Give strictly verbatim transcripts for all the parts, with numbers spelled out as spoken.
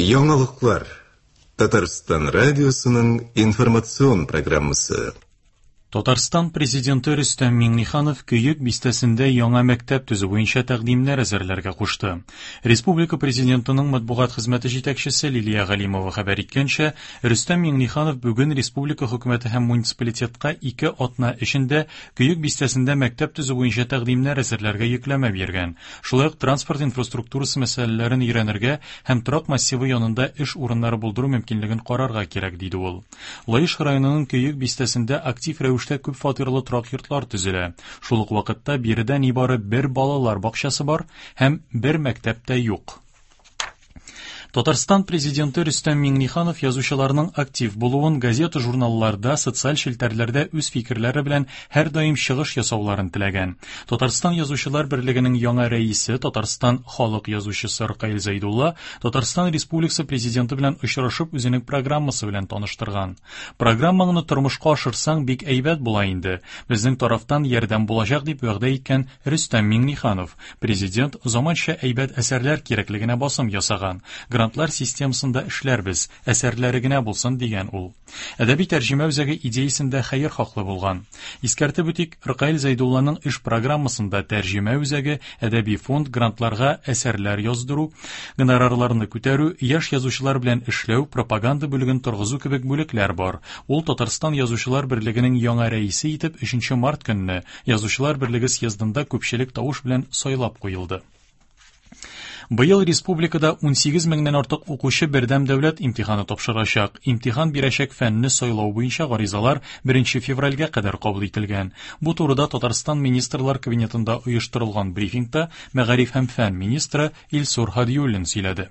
Яңалыклар. Татарстан радиосының информацион программасы. Татарстан президенты Рөстәм Миңнеханов Көек бистәсендә яңа мәктәп төзү буенча тәкъдимнәр әзерләргә кушты. Республика президентының матбугат хезмәте җитәкчесе Лилия Галимова хәбәр иткәнчә, Рөстәм Миңнеханов бүген республика хөкүмәте һәм муниципалитетка ике атна эчендә Көек бистәсендә мәктәп төзү буенча тәкъдимнәр әзерләргә йөкләмә биргән. Шулай ук транспорт инфраструктурасы мәсьәләләрен өйрәнергә һәм торак массивы янында эш урыннары булдыру мөмкинлеген карарга кирәк, диде ул. Лаеш районының Көек бистәсендә актив рәвештә күп фатирлы торак йортлар төзелә. Шул ук вакытта биредә нибары бер балалар бакчасы бар һәм бер мәктәп тә юк. Татарстан президенты Рөстәм Миңнеханов язучыларның актив булуын, газета-журналларда, социаль челтәрләрдә үз фикерләре белән һәрдаим чыгыш ясауларын теләгән. Татарстан Язучылар берлегенең яңа рәисе, Татарстан халык язучысы Ркаил Зәйдулла Татарстан Республикасы президенты белән очрашып үзенең программасы белән таныштырган. Программаңны тормышка ашырсаң бик әйбәт була инде. Безнең тарафтан ярдәм булачак дип вәгъдә иткән Рөстәм Миңнеханов. Президент заманча әйбәт әсәрләр кирәклегенә басым ясаган. Грантлар системасында эшләрбез, әсәрләре генә булсын дигән ул. Әдәби тәрҗемә үзәге идеясендә хәер хаклы булган. Искәртеп үтик, Ркаил Зәйдулланың эш программасында тәрҗемә үзәге, әдәби фонд, грантларга әсәрләр яздыру, гонорарларны күтәрү, яшь язучылар белән эшләү, пропаганда бүлеген торгызу кебек бүлекләр бар. Ул Татарстан Язучылар берлегенең яңа рәисе итеп өченче март көнне Язучылар берлеге съездында күпчелек тавыш белән сайлап куелды. Быел республикада унсигез меңнән артык укучы бердәм дәүләт имтиханы тапшырачак. Имтихан бирәчәк фәнне сайлау буенча гаризалар беренче февральгә кадәр кабул ителгән. Бу турыда Татарстан Министрлар Кабинетында оештырылган брифингта мәгариф һәм фән министры Илсур Һадиуллин сөйләде.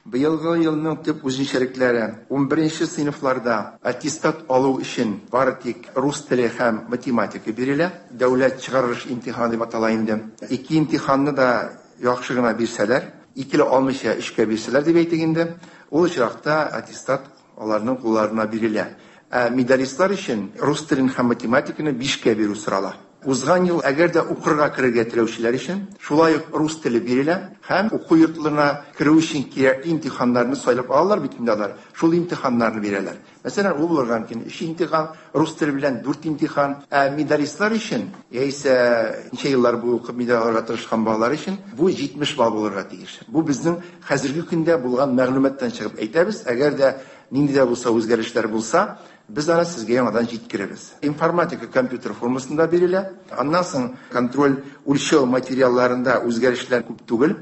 Быелгы елның төп үзенчәлекләре: ун беренче сыйныфларда аттестат алу өчен бары тик рус теле һәм математика бирелә. Дәүләт чыгарылыш имтиханы дип атала инде. Ике имтиханны да яхшы гына бирсәләр, икеле алмыйча өчкә бирсәләр дип әйтик инде, ул очракта аттестат аларның кулларына бирелә. Ә медалистлар өчен рус телен һәм математиканы бишкә бирү сорала. Узган ел әгәр дә укырга керергә теләүчеләр өчен шулай ук рус теле бирелә һәм уку йортларына керү өчен кирәкле имтиханнарны сайлап алалар бит инде алар. Шул имтиханнарны бирәләр. Мәсәлән, ул булырга мөмкин өч имтихан, рус теле белән дүрт имтихан. Ә медалистлар өчен, яисә ничә еллар буе укып медаль алырга тырышкан балалар өчен бу җитмеш балл булырга тиеш. Бу безнең хәзерге көндә булган мәгълүматтан чыгып әйтәбез. Әгәр дә нинди дә булса үзгәрешләр булса, без аны сезгә яңадан җиткерәбез. Информатика компьютер формасында бирелә. Аннан соң контроль үлчәү материалларында үзгәрешләр күп түгел.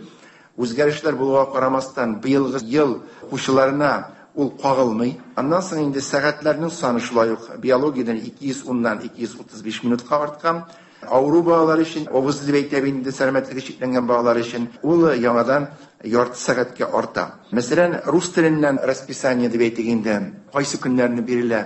Үзгәрешләр булуга карамастан, быелгы ел укучыларына ул кагылмый. Аннан соң инде сәгатьләрнең саны шулай ук биологиядән ике йөз уннан ике йөз утыз биш минутка арткан. Авыру балалар өчен, авыз дип әйтәбез инде, сәламәтлеге чикләнгән балалар өчен ул яңадан ярты сәгатькә арта. Мәсәлән, рус теленнән расписание дип әйтик инде, кайсы көннәрне бирелә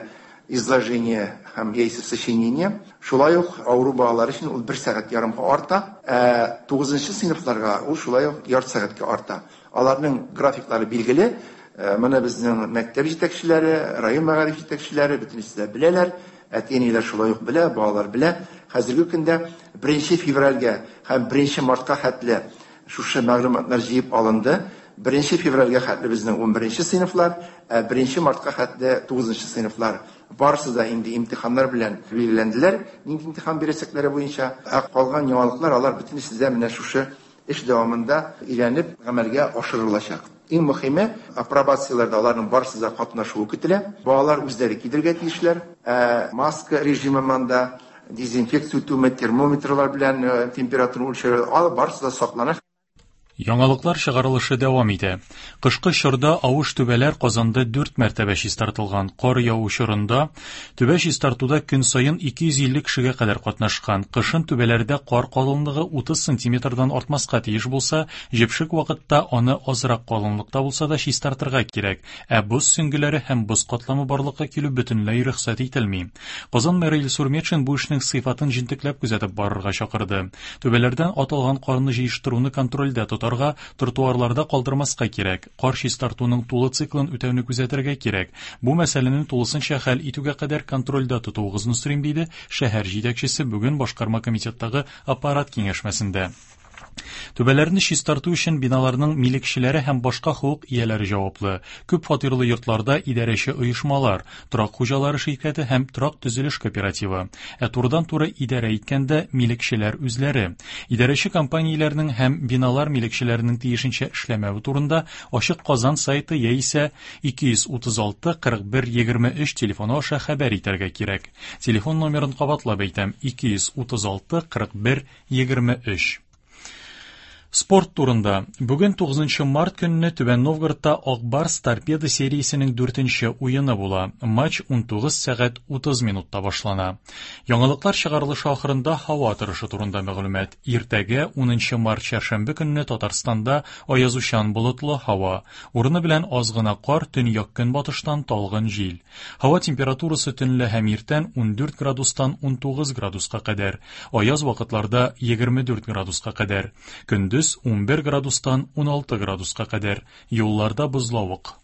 изложение һәм яисә сочинение. Шулай ук авыру балалар өчен ул бер сәгать ярымга арта, ә тугызынчы сыйныфларга ул шулай ук ярты сәгатькә арта. Аларның графиклары билгеле. Э, моны безнең мәктәп җитәкчеләре, район мәгариф җитәкчеләре бөтенесе дә беләләр. Әти-әниләр шулай ук белә, балалар белә. Хәзерге көндә беренче февральгә һәм беренче мартка хәтле шушы мәгълүматлар җыеп алынды. Беренче февральгә хәтле безнең ун беренче сыйныфлар, ә беренче мартка хәтле тугызынчы сыйныфлар. Барысы да инде имтиханнар белән билгеләнделәр, нинди имтихан бирәчәкләре буенча. Ә калган яңалыклар алар бөтенесе дә менә шушы эш дәвамында өйрәнеп гамәлгә ашырылачак. Иң мөһиме, апробацияләрдә аларның барысы да катнашуы көтелә. Балалар үзләре кидергә тиешләр. Ә маска режимы монда, дезинфекция үтүме, термометрлар белән, э, температура үлчәү, алар барысы да саклана. Яңалыклар чыгарылышы дәвам итә. Кышкы чорда авыш түбәләр Казанда дүрт мәртәбә чистартылган. Кар яву чорында түбә чистартуда көн саен ике йөз илле кешегә кадәр катнашкан. Кышын түбәләрдә кар калынлыгы утыз сантиметрдан артмаска тиеш булса, җепшек вакытта аны азрак калынлыкта булса да чистартырга кирәк. Ә боз сөңгеләре һәм боз катламы барлыкка килү бөтенләй рөхсәт ителми. Казан мэры Илсур Метшин бу эшнең сыйфатын җентекләп күзәтеп барырга чакырды. Түбәләрдән атылган карны җыештыруны контрольдә тотарга, тротуарларда калдырмаска кирәк. Кар чистартуның тулы циклын үтәүне күзәтергә кирәк. Бу мәсьәләне тулысынча хәл итүгә кадәр контрольдә тотуыгызны сорыйм, диде шәһәр җитәкчесе бүген башкарма комитеттагы аппарат киңәшмәсендә. Түбәләрне чистарту өчен биналарның милекчеләре һәм башка хокук ияләре җаваплы. Күп фатирлы йортларда идарәче оешмалар, торак хуҗалары ширкәте һәм торак төзелеш кооперативы. Ә турыдан-туры идарә иткәндә милекчеләр үзләре. Идарәче компанияләрнең һәм биналар милекчеләренең тиешенчә эшләмәве турында Ачык Казан сайты яисә ике йөз утыз алты кырык бер егерме өч телефоны аша хәбәр итәргә кирәк. Телефон номерын кабатлап әйтәм: ике йөз утыз алты кырык бер егерме өч. Спорт турында. Бүген тугызынчы март көнне Түбән Новгородта Ак Барс Торпедо сериясенең дүртенче уены була. Матч унтугыз сәгать утыз минутта башлана. Яңалыклар чыгарылышы ахырында һава торышы турында мәгълүмат. Иртәгә унынчы март чәршәмбе көнне Татарстанда аязучан болытлы һава. Урыны белән аз гына кар, төньяк көнбатыштан талгын җил. Һава температурасы төнлә һәм иртән ундүрт градустан унтугыз градуска кадәр. Аяз вакытларда егерме дүрт градуска кадәр. Көндез унбер градустан уналты градуска кадәр. Юлларда бозлавык.